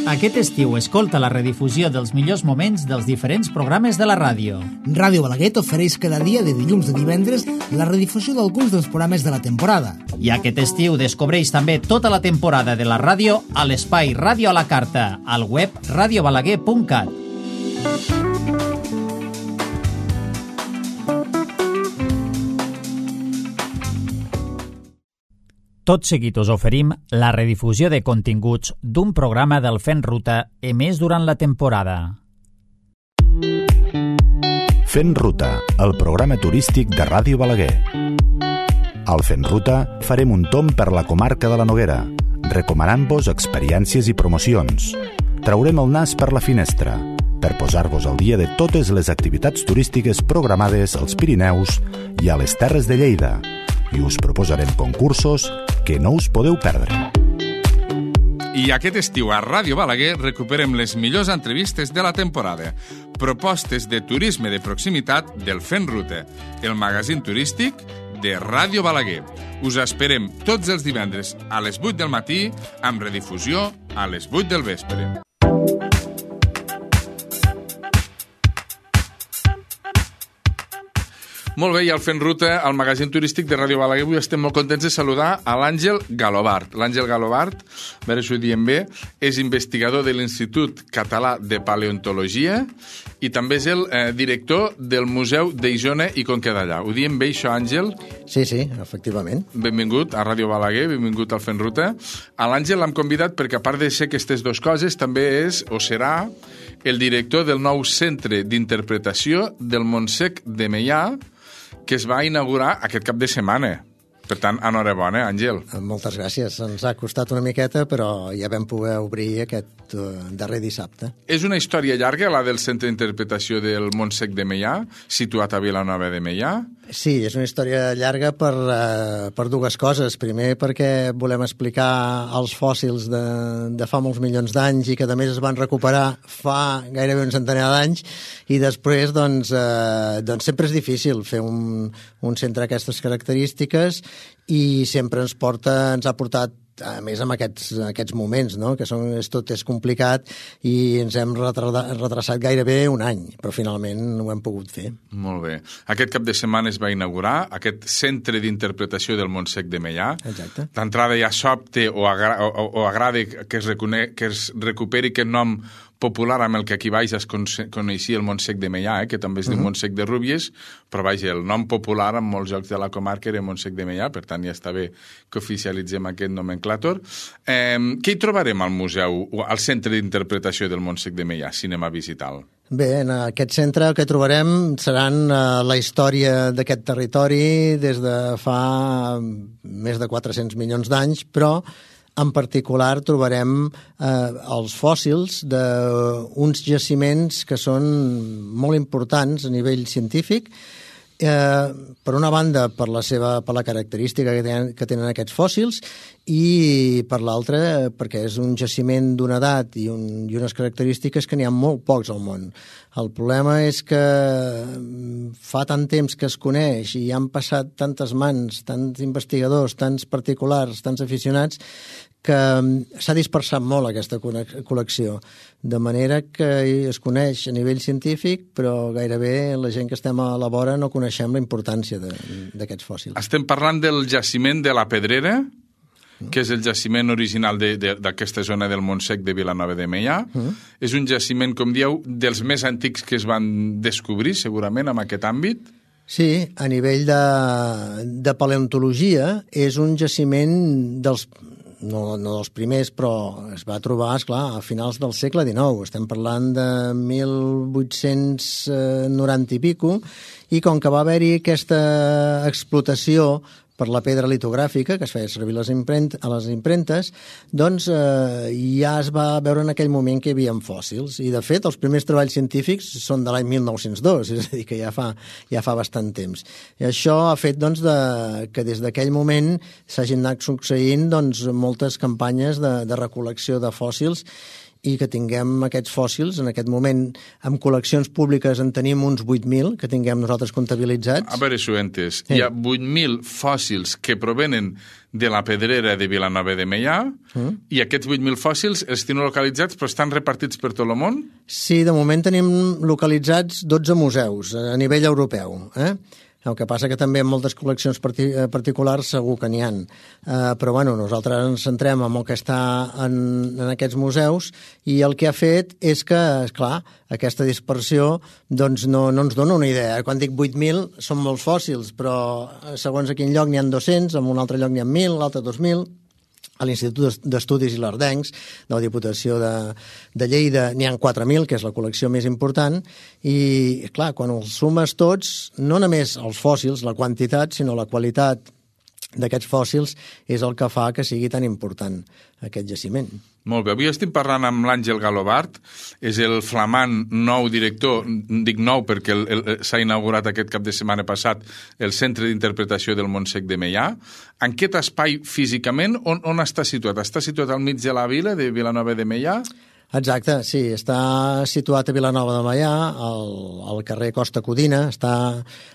Aquest estiu escolta la redifusió dels millors moments dels diferents programes de la ràdio. Ràdio Balaguer t'ofereix cada dia de dilluns a divendres la redifusió d'alguns dels programes de la temporada. I aquest estiu descobreix també tota la temporada de la ràdio a l'espai Ràdio a la Carta, al web radiobalaguer.cat. Tot seguit us oferim la redifusió de continguts d'un programa del Fent Ruta emès durant la temporada. Fent Ruta, el programa turístic de Ràdio Balaguer. Al Fent Ruta farem un tomb per la comarca de la Noguera, recomanant-vos experiències i promocions. Traurem el nas per la finestra, per posar-vos al dia de totes les activitats turístiques programades als Pirineus i a les Terres de Lleida, i us proposarem concursos que no us podeu perdre. I aquest estiu a Ràdio Balaguer recuperem les millors entrevistes de la temporada. Propostes de turisme de proximitat del Fent Ruta, el magazín turístic de Ràdio Balaguer. Us esperem tots els divendres a les 8 del matí, amb redifusió a les 8 del vespre. Molt bé, i al Fent Ruta, al magazín turístic de Ràdio Balaguer, avui estem molt contents de saludar a l'Àngel Galobart. L'Àngel Galobart, a veure si ho diem bé, és investigador de l'Institut Català de Paleontologia i també és el director del Museu d'Isona i Conca Dellà. Ho diem bé, això, Àngel? Sí, efectivament. Benvingut a Ràdio Balaguer, benvingut al Fent Ruta. A l'Àngel l'hem convidat perquè, a part de ser aquestes dues coses, també és, o serà, el director del nou Centre d'Interpretació del Montsec de Meià, que es va inaugurar aquest cap de setmana. Per tant, enhorabona, Àngel. Moltes gràcies. Ens ha costat una miqueta, però ja vam poder obrir aquest darrer dissabte. És una història llarga, la del Centre d'Interpretació del Montsec de Meià, situat a Vilanova de Meià? Sí, és una història llarga per dues coses. Primer, perquè volem explicar els fòssils de fa molts milions d'anys i que, a més, es van recuperar fa gairebé un centenar d'anys, i després, doncs sempre és difícil fer un centre d'aquestes característiques, i sempre ens ha portat, a més, amb aquests moments, no? Que tot és complicat, i ens hem retrasat gairebé un any, però finalment ho hem pogut fer. Molt bé. Aquest cap de setmana es va inaugurar aquest Centre d'Interpretació del Montsec de Meià. Exacte. D'entrada ja sobte o agrada que es recuperi aquest nom popular amb el que aquí baix es coneixia el Montsec de Meià, que també es diu Montsec de Rúbies, però vaja, el nom popular en molts llocs de la comarca era Montsec de Meià, per tant ja està bé que oficialitzem aquest nomenclàtor. Què hi trobarem al museu, al Centre d'Interpretació del Montsec de Meià, si anem a visitar-lo? Bé, en aquest centre el que trobarem seran la història d'aquest territori des de fa més de 400 milions d'anys, però en particular trobarem els fòssils d'uns jaciments que són molt importants a nivell científic. Per una banda, per la característica que tenen aquests fòssils, i per l'altra, perquè és un jaciment d'una edat i unes característiques que n'hi ha molt pocs al món. El problema és que fa tant temps que es coneix i han passat tantes mans, tants investigadors, tants particulars, tants aficionats, que s'ha dispersat molt aquesta col·lecció, de manera que es coneix a nivell científic, però gairebé la gent que estem a la vora no coneixem la importància d'aquests fòssils. Estem parlant del jaciment de la Pedrera, que és el jaciment original d'aquesta zona del Montsec de Vilanova de Meià. És un jaciment, com dieu, dels més antics que es van descobrir, segurament, en aquest àmbit. Sí, a nivell de paleontologia és un jaciment no dels primers, però es va trobar, esclar, a finals del segle XIX. Estem parlant de 1890 i pico, i com que va haver-hi aquesta explotació per la pedra litogràfica, que es feia servir a les impremtes, doncs ja es va veure en aquell moment que hi havia fòssils. I, de fet, els primers treballs científics són de l'any 1902, és a dir, que ja fa bastant temps. I això ha fet que des d'aquell moment s'hagin anat succeint moltes campanyes de recol·lecció de fòssils, i que tinguem aquests fòssils. En aquest moment, amb col·leccions públiques en tenim uns 8.000 que tinguem nosaltres comptabilitzats. A veure si ho he entès. Hi ha 8.000 fòssils que provenen de la pedrera de Vilanova de Meià i aquests 8.000 fòssils els teniu localitzats però estan repartits per tot el món? Sí, de moment tenim localitzats 12 museus a nivell europeu, El que passa que també en moltes col·leccions particulars segur que n'hi ha. Però bueno, nosaltres ens centrem en el que està en aquests museus i el que ha fet és que, esclar, aquesta dispersió doncs no ens dona una idea. Quan dic 8.000 són molts fòssils, però segons a quin lloc n'hi ha 200, en un altre lloc n'hi ha 1.000, l'altre 2.000... A l'Institut d'Estudis Ilerdencs de la Diputació de Lleida n'hi ha 4.000, que és la col·lecció més important, i, clar, quan els sumes tots, no només els fòssils, la quantitat, sinó la qualitat d'aquests fòssils és el que fa que sigui tan important aquest jaciment. Molt bé. Avui estem parlant amb l'Àngel Galobart, és el flamant nou director, dic nou perquè s'ha inaugurat aquest cap de setmana passat el Centre d'Interpretació del Montsec de Meià. En aquest espai físicament, on està situat? Està situat al mig de la vila de Vilanova de Meià? Exacte, sí, està situat a Vilanova de Meià, al carrer Costa Codina, està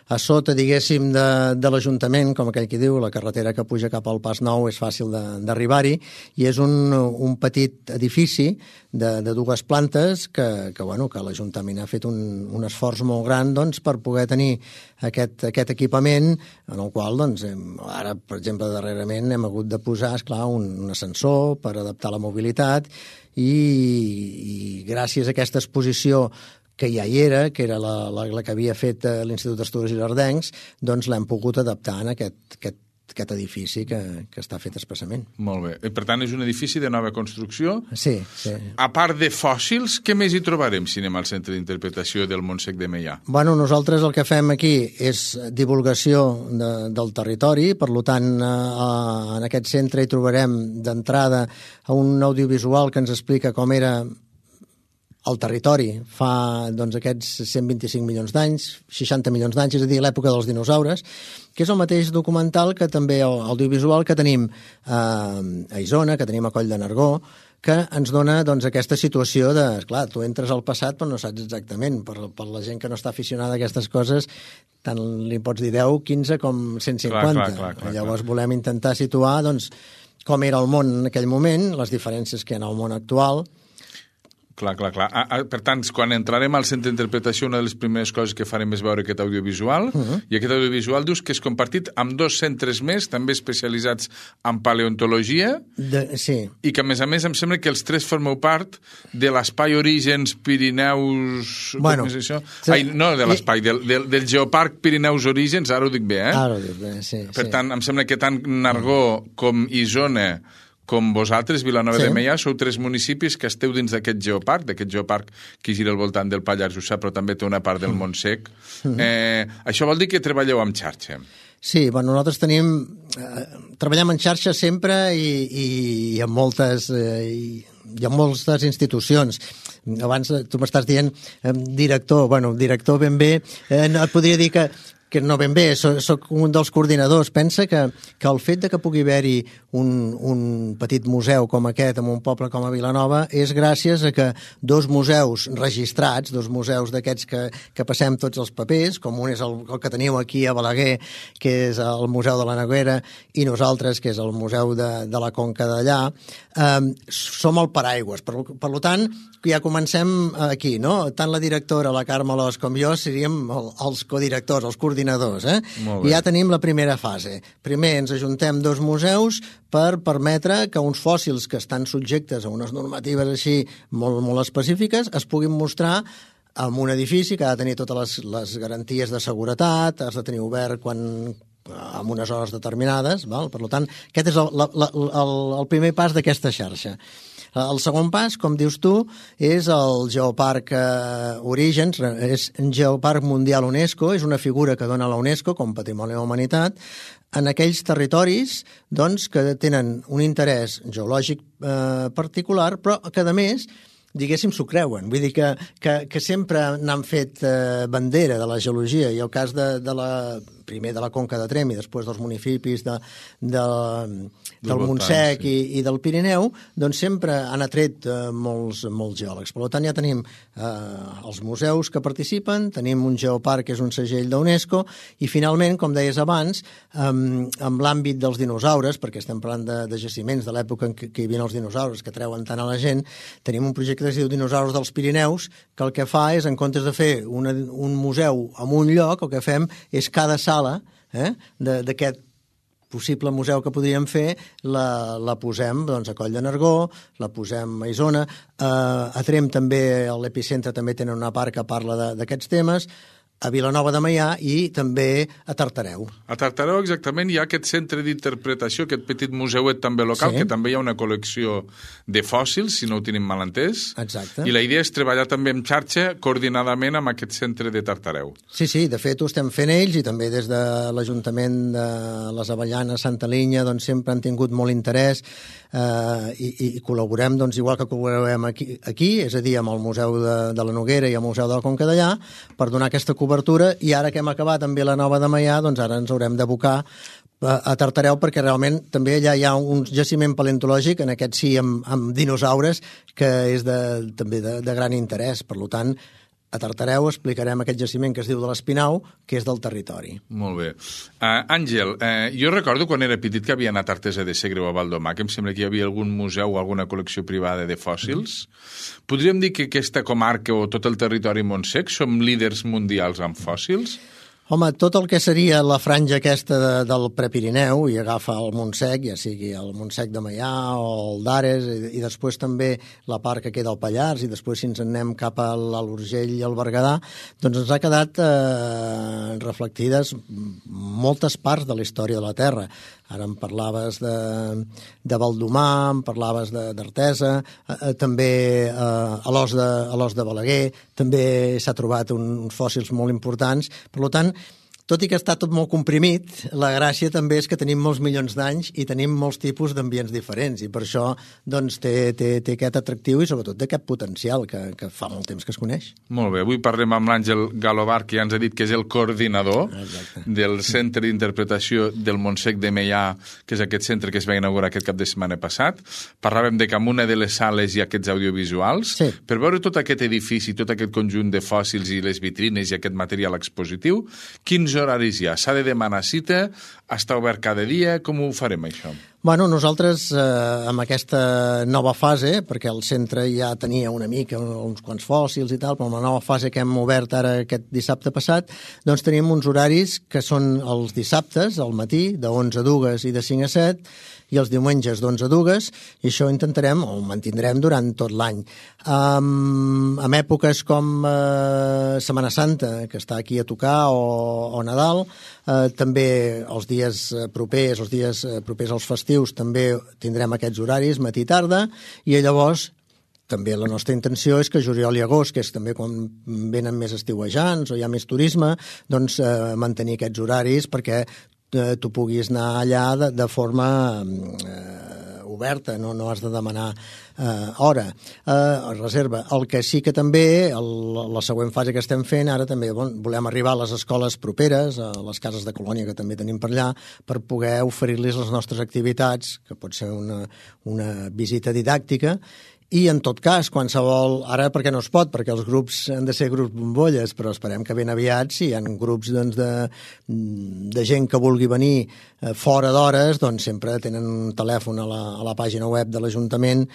a sota, diguéssim, de l'Ajuntament, com aquell qui diu, la carretera que puja cap al Pas Nou és fàcil d'arribar-hi, i és un petit edifici de 2 plantes que l'Ajuntament ha fet un esforç molt gran doncs, per poder tenir aquest equipament, en el qual, doncs, ara, per exemple, darrerament hem hagut de posar, esclar, un ascensor per adaptar la mobilitat, i gràcies a aquesta exposició que ja hi era, que era la que havia fet l'Institut d'Estudis Ilerdencs, doncs l'hem pogut adaptar en aquest edifici que està fet expressament. Molt bé. I, per tant, és un edifici de nova construcció? Sí, sí. A part de fòssils, què més hi trobarem si anem al Centre d'Interpretació del Montsec de Meià? Bueno, nosaltres el que fem aquí és divulgació del territori, per tant, en aquest centre hi trobarem d'entrada un audiovisual que ens explica com era el territori fa aquests 125 milions d'anys, 60 milions d'anys, és a dir, l'època dels dinosaures, que és el mateix documental que també audiovisual que tenim a Isona, que tenim a Coll de Nargó, que ens dona aquesta situació de, esclar, tu entres al passat però no saps exactament, per la gent que no està aficionada a aquestes coses, tant li pots dir 10, 15 com 150. Clar. Llavors volem intentar situar com era el món en aquell moment, les diferències que hi ha en el món actual. Clar. Per tant, quan entrarem al centre d'interpretació, una de les primeres coses que farem és veure aquest audiovisual, i aquest audiovisual dius que és compartit amb 2 centres més, també especialitzats en paleontologia, sí. I que, a més, em sembla que els 3 formeu part de l'Espai Orígens Pirineus... Bueno, com és això? No de l'espai, del Geoparc Pirineus Orígens, ara ho dic bé, Ara ho dic bé, sí. Per tant, em sembla que tant Nargó com Isona com vosaltres, Vilanova de Meià, sou 3 municipis que esteu dins d'aquest geoparc que gira al voltant del Pallars Jussà, però també té una part del Montsec. Això vol dir que treballeu amb xarxa? Sí, nosaltres treballem en xarxa sempre i amb moltes institucions. Abans tu m'estàs dient director ben bé, et podria dir que no ben bé, soc un dels coordinadors. Pensa que el fet que pugui haver-hi un petit museu com aquest en un poble com a Vilanova és gràcies a que 2 museus registrats, 2 museus d'aquests que passem tots els papers, com un és el que teniu aquí a Balaguer, que és el Museu de la Noguera, i nosaltres, que és el Museu de la Conca d'allà, som el paraigües. Per tant, ja comencem aquí, no? Tant la directora, la Carme Alòs, com jo, seríem els codirectors, els coordinadors, I ja tenim la primera fase. Primer ens ajuntem 2 museus per permetre que uns fòssils que estan subjectes a unes normatives així molt, molt específiques es puguin mostrar en un edifici que ha de tenir totes les garanties de seguretat, has de tenir obert en unes hores determinades. Per tant, aquest és el primer pas d'aquesta xarxa. El segon pas, com dius tu, és el Geoparc Orígens, és un Geoparc Mundial UNESCO, és una figura que dona la UNESCO com Patrimoni de la Humanitat, en aquells territoris que tenen un interès geològic particular, però que, a més, diguéssim, s'ho creuen. Vull dir que sempre n'han fet bandera de la geologia, i el cas de la primer de la Conca de Tremp i després dels municipis del Montsec i del Pirineu, doncs sempre han atret molts geòlegs. Per tant, ja tenim els museus que participen, tenim un geoparc que és un segell d'UNESCO i finalment, com deies abans, amb l'àmbit dels dinosaures, perquè estem parlant de jaciments de l'època en què hi havia els dinosaures que treuen tant a la gent, tenim un projecte que es diu Dinosaures dels Pirineus, que el que fa és, en comptes de fer un museu en un lloc, el que fem és cada sala d'aquest possible museu que podríem fer, la posem a Coll de Nargó, la posem a Isona, a Tremp també, a l'Epicentre també tenen una part que parla d'aquests temes, a Vilanova de Meià i també a Tartareu. A Tartareu, exactament, hi ha aquest centre d'interpretació, aquest petit museuet també local, que també hi ha una col·lecció de fòssils, si no ho tenim mal entès. Exacte. I la idea és treballar també en xarxa, coordinadament amb aquest centre de Tartareu. Sí, de fet ho estem fent ells i també des de l'Ajuntament de les Avellanes, Santa Linya, doncs sempre han tingut molt interès i col·laborem, doncs, igual que col·laborem aquí, és a dir, amb el Museu de la Noguera i el Museu de la Conca Dellà, per donar aquesta cobertura, i ara que hem acabat amb Vilanova de Meià, doncs ara ens haurem d'abocar a Tartareu, perquè realment també allà hi ha un jaciment paleontològic, en aquest sí amb dinosaures, que és també de gran interès. Per tant, a Tartareu explicarem aquest jaciment que es diu de l'Espinau, que és del territori. Molt bé. Àngel, jo recordo quan era petit que havia anat a Artesa de Segre o a Valdomar, que em sembla que hi havia algun museu o alguna col·lecció privada de fòssils. Podríem dir que aquesta comarca o tot el territori Montsec som líders mundials en fòssils? Home, tot el que seria la franja aquesta del Prepirineu i agafa el Montsec, ja sigui el Montsec de Meià o el d'Ares, i després també la part que queda al Pallars, i després si ens en anem cap a l'Urgell i al Berguedà, doncs ens ha quedat reflectides moltes parts de la història de la Terra. Ara em parlaves de Valdomar, em parlaves d'Artesa, també a l'os de Balaguer, també s'ha trobat uns fòssils molt importants. Per tant, tot i que està tot molt comprimit, la gràcia també és que tenim molts milions d'anys i tenim molts tipus d'ambients diferents, i per això doncs, té aquest atractiu i sobretot d'aquest potencial que fa molt temps que es coneix. Molt bé, avui parlem amb l'Àngel Galobar, que ja ens ha dit que és el coordinador del Centre d'Interpretació del Montsec de Meià, que és aquest centre que es va inaugurar aquest cap de setmana passat. Parlàvem de que en una de les sales hi ha aquests audiovisuals. Sí. Per veure tot aquest edifici, tot aquest conjunt de fòssils i les vitrines i aquest material expositiu, quins horaris hi ha? S'ha de demanar cita? Està obert cada dia? Com ho farem, això? Bueno, nosaltres amb aquesta nova fase, perquè el centre ja tenia una mica uns quants fòssils i tal, però amb la nova fase que hem obert ara aquest dissabte passat, doncs tenim uns horaris que són els dissabtes, al matí, de 11 a 2 i de 5 a 7, i els diumenges d'11 a 2, i això intentarem, o ho mantindrem durant tot l'any. En èpoques com Setmana Santa, que està aquí a tocar, o Nadal, també els dies propers als festius, també tindrem aquests horaris, matí i tarda, i llavors també la nostra intenció és que juliol i agost, que és també quan venen més estiuejants o hi ha més turisme, doncs mantenir aquests horaris perquè tu puguis anar allà de forma oberta, no has de demanar hora, reserva. El que sí que també, la següent fase que estem fent, ara també volem arribar a les escoles properes, a les cases de colònia que també tenim per allà, per poder oferir-los les nostres activitats, que pot ser una visita didàctica, i en tot cas, qualsevol, ara perquè no es pot, perquè els grups han de ser grups bombolles, però esperem que ben aviat, si hi ha grups de gent que vulgui venir fora d'hores, doncs sempre tenen un telèfon a la pàgina web de l'Ajuntament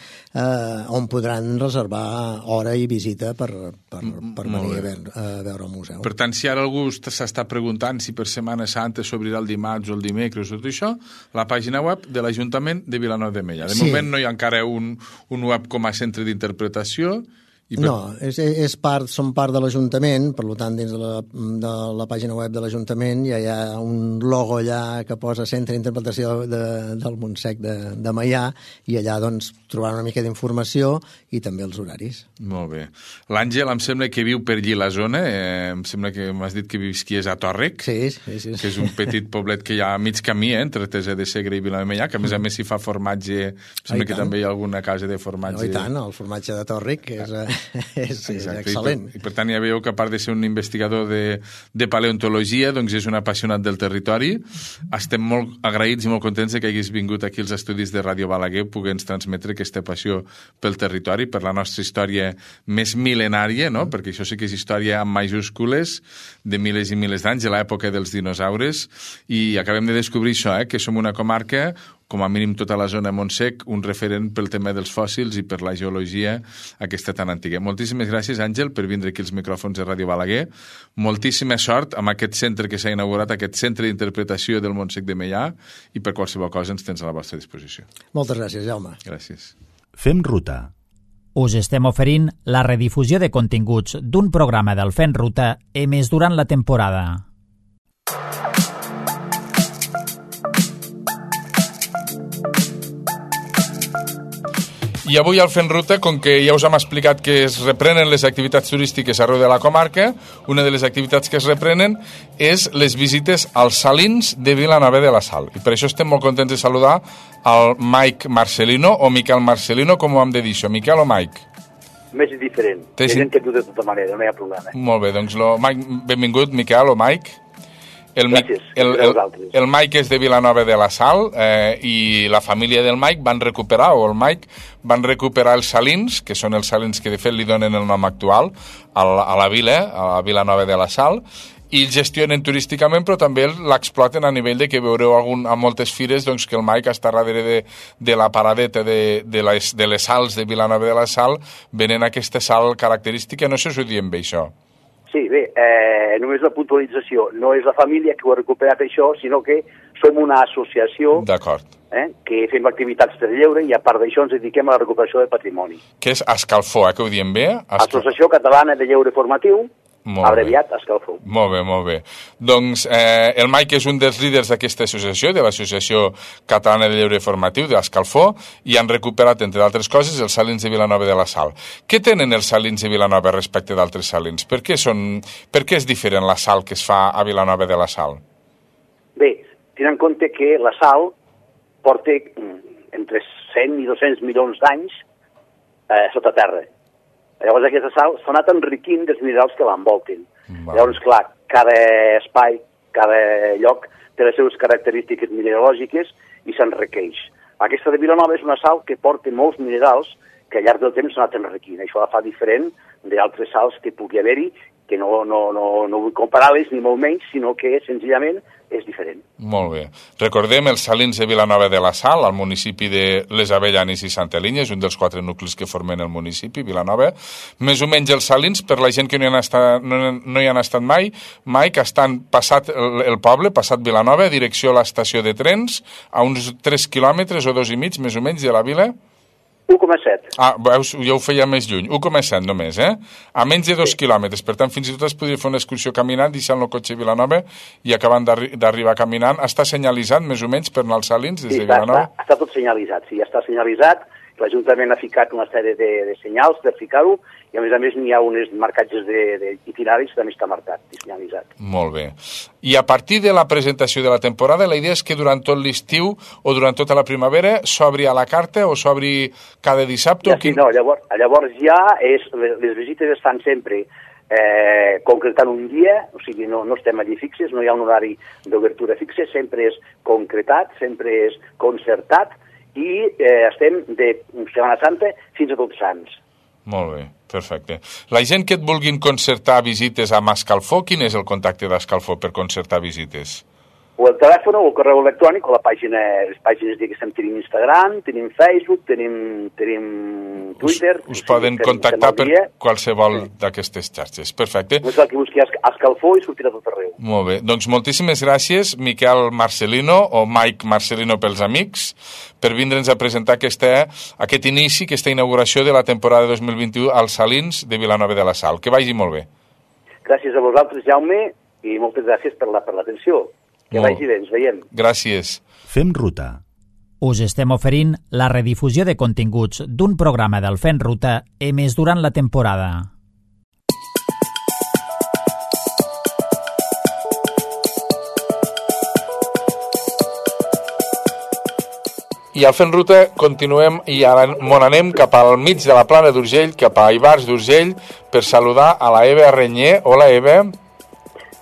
on podran reservar hora i visita per venir a veure el museu. Per tant, si ara algú s'està preguntant si per Setmana Santa s'obrirà el dimarts o el dimecres o tot això, la pàgina web de l'Ajuntament de Vilanova de Meià. De moment no hi ha encara un web com a centre d'interpretació. No, són part de l'Ajuntament, per tant, dins de la pàgina web de l'Ajuntament ja hi ha un logo allà que posa Centre d'Interpretació del Montsec de Meià, i allà doncs trobaran una mica d'informació i també els horaris. Molt bé. L'Àngel em sembla que viu per allí la zona, em sembla que m'has dit que és a Tòrrec, sí. Que és un petit poblet que hi ha a mig camí entre Artesa de Segre i Vilanova de Meià, que a més s'hi fa formatge, em sembla que també hi ha alguna casa de formatge. I tant, el formatge de Tòrrec, que és és excel·lent. I per tant ja veieu que a part de ser un investigador de paleontologia, doncs és un apassionat del territori. Estem molt agraïts i molt contents que haguis vingut aquí als estudis de Ràdio Balaguer, poder-nos transmetre aquesta passió pel territori, per la nostra història més mil·lenària, no? Perquè això sí que és història amb majúscules de milers i milers d'anys, de l'època dels dinosaures, i acabem de descobrir això, que som una comarca, com a mínim tota la zona Montsec, un referent pel tema dels fòssils i per la geologia aquesta tan antiga. Moltíssimes gràcies, Àngel, per vindre aquí als micròfons de Ràdio Balaguer. Moltíssima sort amb aquest centre que s'ha inaugurat, aquest centre d'interpretació del Montsec de Meià, i per qualsevol cosa ens tens a la vostra disposició. Moltes gràcies, Jaume. Gràcies. Fem ruta. Us estem oferint la redifusió de continguts d'un programa del Fent Ruta emès durant la temporada. I avui al Fent Ruta, com que ja us hem explicat que es reprenen les activitats turístiques arreu de la comarca, una de les activitats que es reprenen és les visites als salins de Vilanova de la Sal. I per això estem molt contents de saludar al Mike Marcelino, o Miquel Marcelino, com ho hem de dir això, Miquel o Mike? Més diferent. Hi ha gent que diu de tota manera, no hi ha problema. Molt bé, doncs Mike, benvingut, Miquel o Mike. Gràcies. El Mike és de Vilanova de la Sal i la família del Mike van recuperar els salins, que són els salins que de fet li donen el nom actual a la vila, a Vilanova de la Sal, i el gestionen turísticament, però també l'exploten a nivell de que veureu a moltes fires doncs, que el Mike està darrere de la paradeta de les sals de Vilanova de la Sal, venent aquesta sal característica. No sé si ho diem bé, això. Sí, bé, només la puntualització. No és la família que ho ha recuperat això, sinó que som una associació que fem activitats de lleure i a part d'això ens dediquem a la recuperació del patrimoni. Que és Escalfor, que ho diem bé? Associació Catalana de Lleure Formatiu, abreviat Escalfor. Molt bé, molt bé. Doncs el Mike és un dels líders d'aquesta associació, de l'Associació Catalana de Lleure Formatiu, d'Escalfor, i han recuperat, entre d'altres coses, els salins de Vilanova de la Sal. Què tenen els salins de Vilanova respecte d'altres salins? Per què és diferent la sal que es fa a Vilanova de la Sal? Bé, tenint en compte que la sal porta entre 100 i 200 milions d'anys sota terra. Llavors aquesta sal s'ha anat enriquint dels minerals que l'envolten. Llavors, clar, cada espai, cada lloc té les seves característiques mineralògiques i s'enriqueix. Aquesta de Vilanova és una sal que porta molts minerals que al llarg del temps s'ha anat enriquint. Això la fa diferent d'altres sals que pugui haver-hi, que no vull comparar-les ni molt menys, sinó que senzillament és diferent. Molt bé. Recordem els salins de Vilanova de la Sal, al municipi de Les Avellanes i Santa Linya, és un dels 4 nuclis que formen el municipi, Vilanova. Més o menys els salins, per la gent que no hi han estat mai, Mike, estan passat el poble, passat Vilanova, direcció a l'estació de trens, a uns 3 quilòmetres o 2,5, més o menys, de la vila. 1,7. Veus, ja ho feia més lluny. 1,7 només, A menys de 2 quilòmetres. Per tant, fins i tot es podria fer una excursió caminant, deixant el cotxe a Vilanova i acabant d'arribar caminant. Està senyalitzat, més o menys, per anar als salins des de Vilanova? Sí, està tot senyalitzat. Sí, ja està senyalitzat. L'Ajuntament ha ficat una sèrie de senyals per ficar-ho i, a més, n'hi ha uns marcatges d'itineraris que també està marcat i senyalitzat. Molt bé. I a partir de la presentació de la temporada, la idea és que durant tot l'estiu o durant tota la primavera s'obri a la carta o s'obri cada dissabte? Llavors ja les visites estan sempre concretant un dia, o sigui, no estem allí fixes, no hi ha un horari d'obertura fixe, sempre és concretat, sempre és concertat, i estem de Setmana Santa fins a Tots Sants. Molt bé, perfecte. La gent que et vulguin concertar visites a Escalfor, quin és el contacte d'Escalfor per concertar visites? O el telèfon o el correu electrònic o les pàgines diguéssim, tenim Instagram, tenim Facebook, tenim Twitter. Us poden contactar per qualsevol d'aquestes xarxes. Perfecte. No és el que busqui Escalfor i sortirà tot arreu. Molt bé. Doncs moltíssimes gràcies, Miquel Marcelino, o Mike Marcelino pels amics, per vindre'ns a presentar aquest inici, aquesta inauguració de la temporada 2021 als salins de Vilanova de la Sal. Que vagi molt bé. Gràcies a vosaltres, Jaume, i moltes gràcies per l'atenció. Que vagi bé, ens veiem. Gràcies. Fem ruta. Us estem oferint la redifusió de continguts d'un programa del Fent Ruta emès durant la temporada. I al Fent Ruta continuem i ara m'on anem cap al mig de la Plana d'Urgell, cap a Ivars d'Urgell, per saludar a la Eva Renyer. Hola, Eva.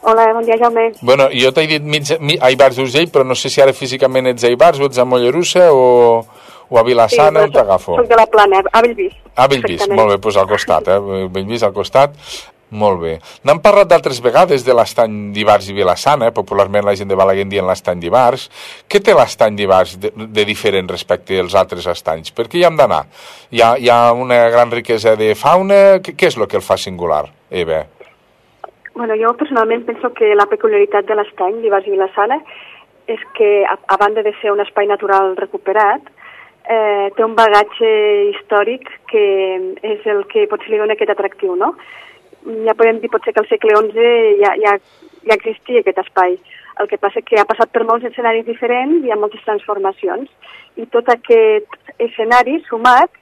Hola, bon dia, Jaume. Bueno, jo t'he dit a Ivars d'Urgell, però no sé si ara físicament ets a Ivars o ets a Mollerussa o a Vilassana, on t'agafo? Soc de la Plana, a Bellvís. A Bellvís, molt bé, doncs al costat, Bellvís al costat. Molt bé. N'hem parlat d'altres vegades de l'estany d'Ivars i Vilassana, popularment la gent de Balaguer en dient l'estany d'Ivars. Què té l'estany d'Ivars de diferent respecte als altres estanys? Per què hi hem d'anar? Hi ha una gran riquesa de fauna? Què és el que el fa singular, Eva? Bueno, jo personalment penso que la peculiaritat de l'estany d'Ivars i Vilassana és que, a banda de ser un espai natural recuperat, té un bagatge històric que és el que potser li dona aquest atractiu, no? Ja podem dir potser que al segle XI ja existia aquest espai. El que passa que ha passat per molts escenaris diferents i hi ha moltes transformacions. I tot aquest escenari sumat,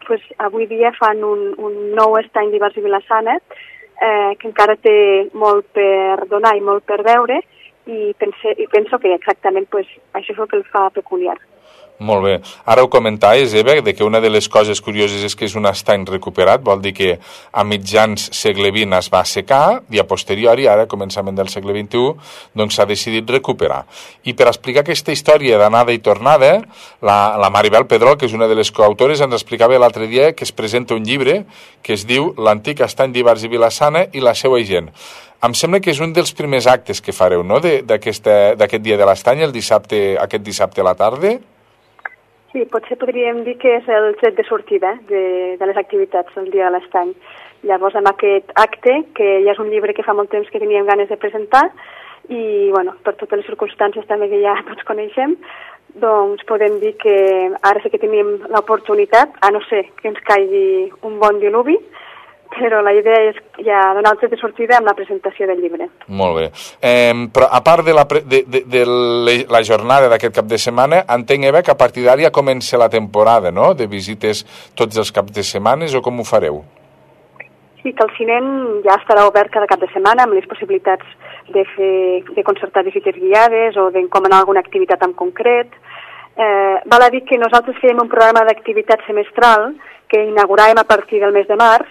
pues, avui dia fan un nou estany d'Ivars i Vilassana que encara té molt per donar i molt per veure i penso que exactament pues, això és el que el fa peculiar. Molt bé. Ara ho comentaves, Eva, de que una de les coses curioses és que és un estany recuperat, vol dir que a mitjans segle XX es va assecar i a posteriori, ara a començament del segle XXI, doncs s'ha decidit recuperar. I per explicar aquesta història d'anada i tornada, la Maribel Pedrol, que és una de les coautores, ens explicava l'altre dia que es presenta un llibre que es diu L'antic estany d'Ivars i Vilassana i la seva gent. Em sembla que és un dels primers actes que fareu, no?, d'aquest dia de l'estany, aquest dissabte a la tarda. Sí, potser podríem dir que és el tret de sortida de les activitats del dia de l'estany. Llavors, amb aquest acte, que ja és un llibre que fa molt temps que teníem ganes de presentar, i bueno, per totes les circumstàncies també que ja tots coneixem, doncs podem dir que ara sí que tenim l'oportunitat, a no ser que ens caigui un bon diluvi, però la idea és ja donar el tret de sortida amb la presentació del llibre. Molt bé. Però a part de la jornada d'aquest cap de setmana, entenc, Eva, que a partir d'ara ja comença la temporada, no?, de visites tots els caps de setmanes, o com ho fareu? Sí, que el cinem ja estarà obert cada cap de setmana amb les possibilitats de concertar visites guiades o d'encomanar alguna activitat en concret. Val a dir que nosaltres fèiem un programa d'activitat semestral que inauguràvem a partir del mes de març,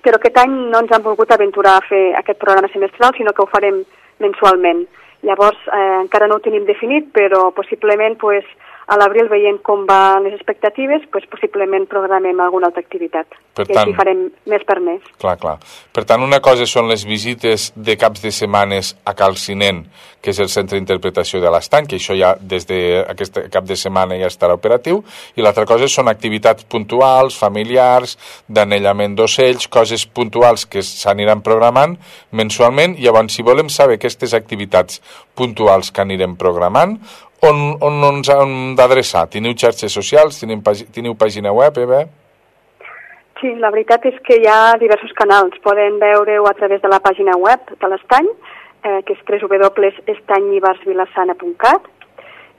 però aquest any no ens han volgut aventurar a fer aquest programa semestral, sinó que ho farem mensualment. Llavors, encara no ho tenim definit, però possiblement pues, a l'abril, veient com van les expectatives, pues, possiblement programem alguna altra activitat. Per tant, i així farem mes per mes. Clar. Per tant, una cosa són les visites de caps de setmanes a Cal Cinent, que és el centre d'interpretació de l'estany, que això ja des d'aquest cap de setmana ja estarà operatiu, i l'altra cosa són activitats puntuals, familiars, d'anellament d'ocells, coses puntuals que s'aniran programant mensualment. Llavors, si volem saber aquestes activitats puntuals que anirem programant, on ens hem d'adreçar? Teniu xarxes socials? Teniu pàgina web, Eva? Sí, la veritat és que hi ha diversos canals. Poden veure-ho a través de la pàgina web de l'estany, que és www.estanyivarsvilassana.cat,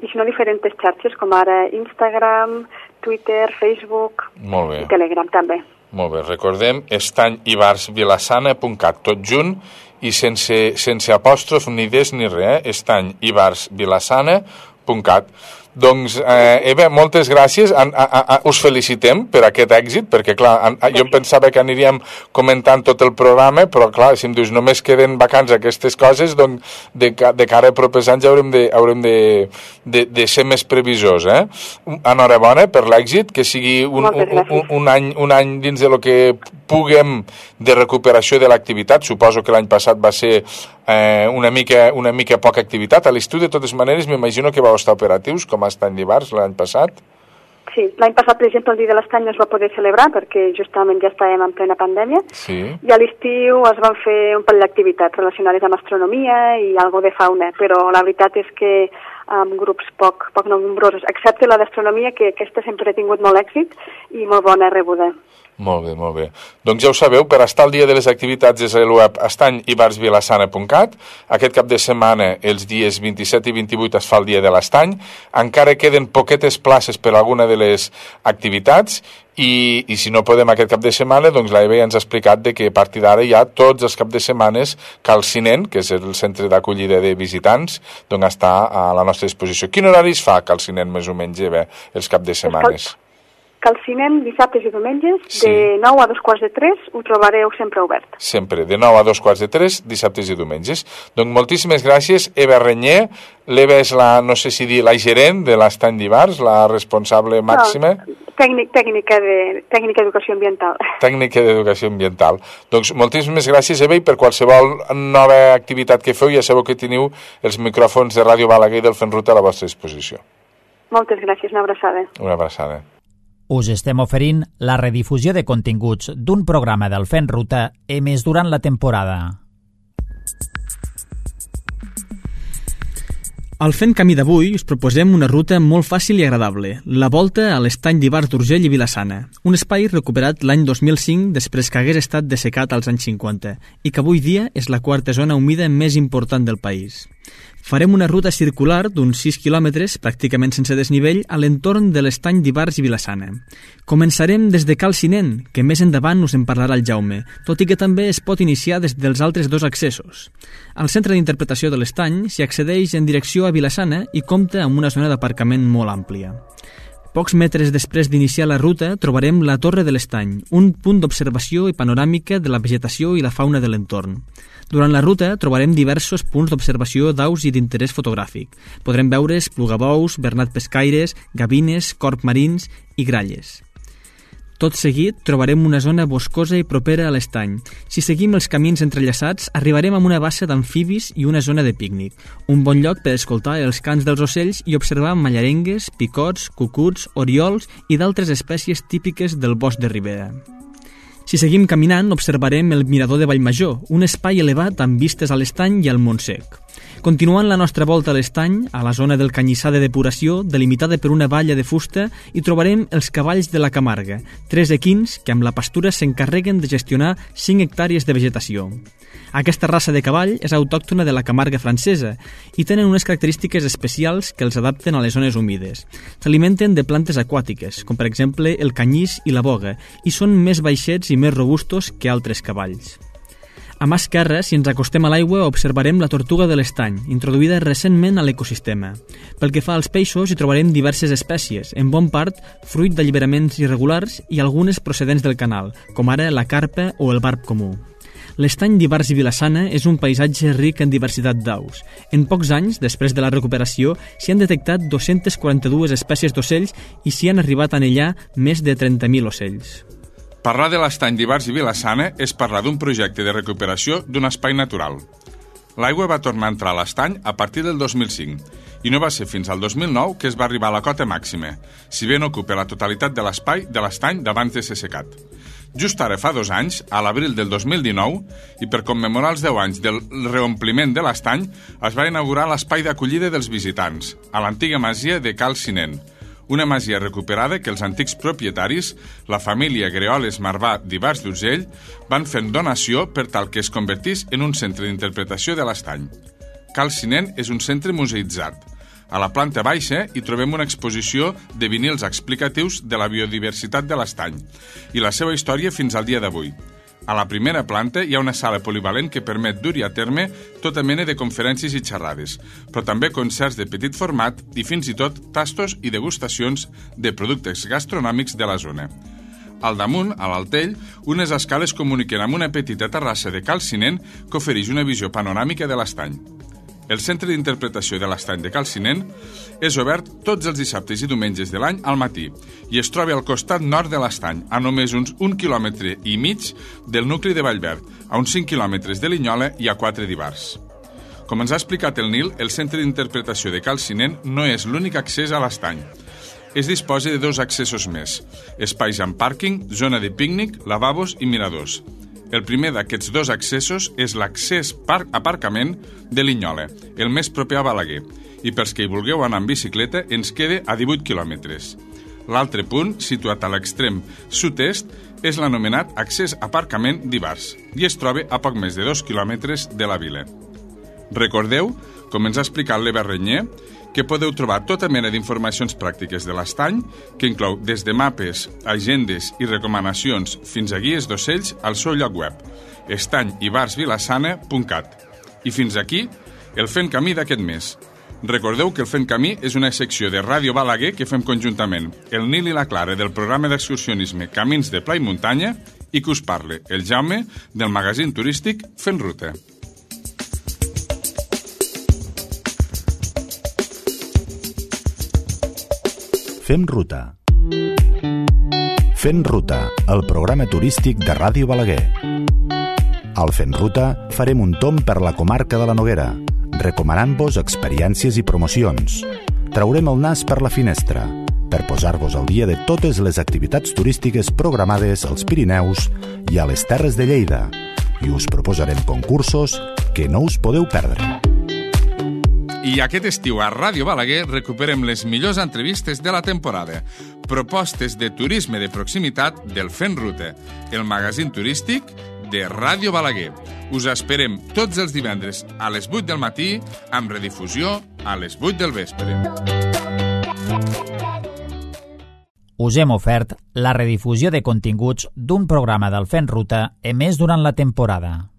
i si no, diferents xarxes, com ara Instagram, Twitter, Facebook i Telegram també. Molt bé, recordem estanyivarsvilassana.cat, tot junt i sense apòstrof ni des ni res, estanyivarsvilassana.cat. Doncs, Eva, moltes gràcies. Us felicitem per aquest èxit, perquè, clar, jo em pensava que aniríem comentant tot el programa, però, clar, si em dius només queden vacants aquestes coses, doncs, de cara a propers anys haurem de ser més previsors, Enhorabona per l'èxit, que sigui un any dins de lo que puguem de recuperació de l'activitat. Suposo que l'any passat va ser una mica poca activitat. A l'estiu, de totes maneres, m'imagino que vau estar operatius com a estany d'Ivars l'any passat. Sí, l'any passat, per exemple, el dia de l'estany no es va poder celebrar perquè justament ja estàvem en plena pandèmia. Sí. I a l'estiu es van fer un parell d'activitats relacionades amb astronomia i algo de fauna, però la veritat és que amb grups poc nombrosos, excepte la d'astronomia, que aquesta sempre ha tingut molt èxit i molt bona rebuda. Molt bé. Doncs ja ho sabeu, per estar al dia de les activitats és el web estanyivarsvilassana.cat. Aquest cap de setmana, els dies 27 i 28, es fa el dia de l'estany. Encara queden poquetes places per a alguna de les activitats I si no podem aquest cap de setmana, doncs l'Eva ja ens ha explicat de que a partir d'ara ja tots els caps de setmanes Cal Cinent, que és el centre d'acollida de visitants, doncs està a la nostra disposició. Quin horari es fa Cal Cinent més o menys, Eva, els caps de setmanes? Cal Cinent, dissabtes i diumenges, sí. De 9 a 2:45, ho trobareu sempre obert. Sempre, de 9 a 2:45, dissabtes i diumenges. Doncs moltíssimes gràcies, Eva Renyer. L'Eva és la, no sé si dir, la gerent de l'Estany d'Ivars, la responsable màxima. No, tècnica d'educació ambiental. Tècnica d'educació ambiental. Doncs moltíssimes gràcies, Eva, i per qualsevol nova activitat que feu, ja sabeu que teniu els micròfons de Ràdio Balaguer i del Fent Ruta a la vostra disposició. Moltes gràcies, una abraçada. Una abraçada. Us estem oferint la redifusió de continguts d'un programa del Fent Ruta emès durant la temporada. Al Fent Camí d'avui us proposem una ruta molt fàcil i agradable, la volta a l'Estany d'Ivars d'Urgell i Vila-sana, un espai recuperat l'any 2005 després que hagués estat dessecat als anys 50 i que avui dia és la quarta zona humida més important del país. Farem una ruta circular d'uns 6 quilòmetres, pràcticament sense desnivell, a l'entorn de l'Estany d'Ivars i Vila-sana. Començarem des de Cal Cinent, que més endavant us en parlarà el Jaume, tot i que també es pot iniciar des dels altres dos accessos. Al centre d'interpretació de l'Estany s'hi accedeix en direcció a Vila-sana i compta amb una zona d'aparcament molt àmplia. Pocs metres després d'iniciar la ruta trobarem la Torre de l'Estany, un punt d'observació i panoràmica de la vegetació i la fauna de l'entorn. Durant la ruta trobarem diversos punts d'observació d'aus i d'interès fotogràfic. Podrem veure esplugabous, bernat pescaires, gavines, corb marins i gralles. Tot seguit trobarem una zona boscosa i propera a l'estany. Si seguim els camins entrellaçats, arribarem a una bassa d'amfibis i una zona de pícnic, un bon lloc per escoltar els cants dels ocells i observar mallarengues, picots, cucuts, oriols i d'altres espècies típiques del bosc de ribera. Si seguim caminant, observarem el Mirador de Vallmajor, un espai elevat amb vistes a l'estany i al Montsec. Continuant la nostra volta a l'estany, a la zona del Canyissar de depuració, delimitada per una valla de fusta, hi trobarem els cavalls de la Camarga, 3 equins que amb la pastura s'encarreguen de gestionar 5 hectàrees de vegetació. Aquesta raça de cavall és autòctona de la Camarga francesa i tenen unes característiques especials que els adapten a les zones humides. S'alimenten de plantes aquàtiques, com per exemple el canyís i la boga, i són més baixets i més robustos que altres cavalls. A mà esquerra, si ens acostem a l'aigua, observarem la tortuga de l'estany, introduïda recentment a l'ecosistema. Pel que fa als peixos, hi trobarem diverses espècies, en bon part fruit d'alliberaments irregulars i algunes procedents del canal, com ara la carpa o el barb comú. L'estany d'Ivars i Vila-sana és un paisatge ric en diversitat d'aus. En pocs anys, després de la recuperació, s'hi han detectat 242 espècies d'ocells i s'hi han arribat a anellar més de 30.000 ocells. Parlar de l'estany d'Ivars i Vila-sana és parlar d'un projecte de recuperació d'un espai natural. L'aigua va tornar a entrar a l'estany a partir del 2005 i no va ser fins al 2009 que es va arribar a la cota màxima, si bé no ocupa la totalitat de l'espai de l'estany d'abans de ser secat. Just ara fa 2 anys, a l'abril del 2019, i per commemorar els 10 anys del reompliment de l'estany, es va inaugurar l'espai d'acollida dels visitants, a l'antiga masia de Cal Cinent, una masia recuperada que els antics propietaris, la família Greoles Marvà d'Ivars d'Urgell, van fer donació per tal que es convertís en un centre d'interpretació de l'estany. Cal Cinent és un centre museïtzat. A la planta baixa hi trobem una exposició de vinils explicatius de la biodiversitat de l'estany i la seva història fins al dia d'avui. A la primera planta hi ha una sala polivalent que permet dur-hi a terme tota mena de conferències i xerrades, però també concerts de petit format i fins i tot tastos i degustacions de productes gastronòmics de la zona. Al damunt, a l'altell, unes escales comuniquen amb una petita terrassa de Cal Cinent que ofereix una visió panoràmica de l'estany. El centre d'interpretació de l'estany de Cal Cinent és obert tots els dissabtes i diumenges de l'any al matí i es troba al costat nord de l'estany, a només uns 1,5 quilòmetres del nucli de Vallverd, a uns 5 quilòmetres de Linyola i a 4 d'Ivars. Com ens ha explicat el Nil, el centre d'interpretació de Cal Cinent no és l'únic accés a l'estany. Es disposa de 2 accessos més, espais amb pàrquing, zona de pícnic, lavabos i miradors. El primer d'aquests 2 accessos és l'accés aparcament de Linyola, el més proper a Balaguer, i pels que hi vulgueu anar en bicicleta ens queda a 18 quilòmetres. L'altre punt, situat a l'extrem sud-est, és l'anomenat accés aparcament d'Ivars i es troba a poc més de 2 quilòmetres de la vila. Recordeu, com ens ha explicat l'Eva Renyer, que podeu trobar tota mena d'informacions pràctiques de l'estany, que inclou des de mapes, agendes i recomanacions fins a guies d'ocells al seu lloc web, estanyibarsvilassana.cat. I fins aquí el Fent Camí d'aquest mes. Recordeu que el Fent Camí és una secció de Ràdio Balaguer que fem conjuntament el Nil i la Clara del programa d'excursionisme Camins de Pla i Muntanya i que us parle el Jaume del magazín turístic Fent Ruta. Fem Ruta. Fent Ruta, el programa turístic de Ràdio Balaguer. Al Fent Ruta farem un tomb per la comarca de la Noguera, recomanant-vos experiències i promocions. Traurem el nas per la finestra per posar-vos al dia de totes les activitats turístiques programades als Pirineus i a les Terres de Lleida i us proposarem concursos que no us podeu perdre. I aquest estiu a Ràdio Balaguer recuperem les millors entrevistes de la temporada, propostes de turisme de proximitat del Fent Ruta, el magazín turístic de Ràdio Balaguer. Us esperem tots els divendres a les 8 del matí, amb redifusió a les 8 del vespre. Us hem ofert la redifusió de continguts d'un programa del Fent Ruta emès durant la temporada.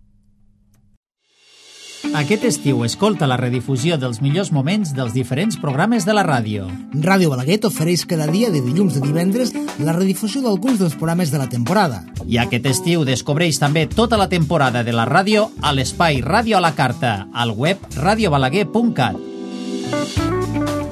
Aquest estiu escolta la redifusió dels millors moments dels diferents programes de la ràdio. Ràdio Balaguer t'ofereix cada dia de dilluns a divendres la redifusió d'alguns dels programes de la temporada. I aquest estiu descobreix també tota la temporada de la ràdio a l'espai Ràdio a la Carta, al web radiobalaguer.cat.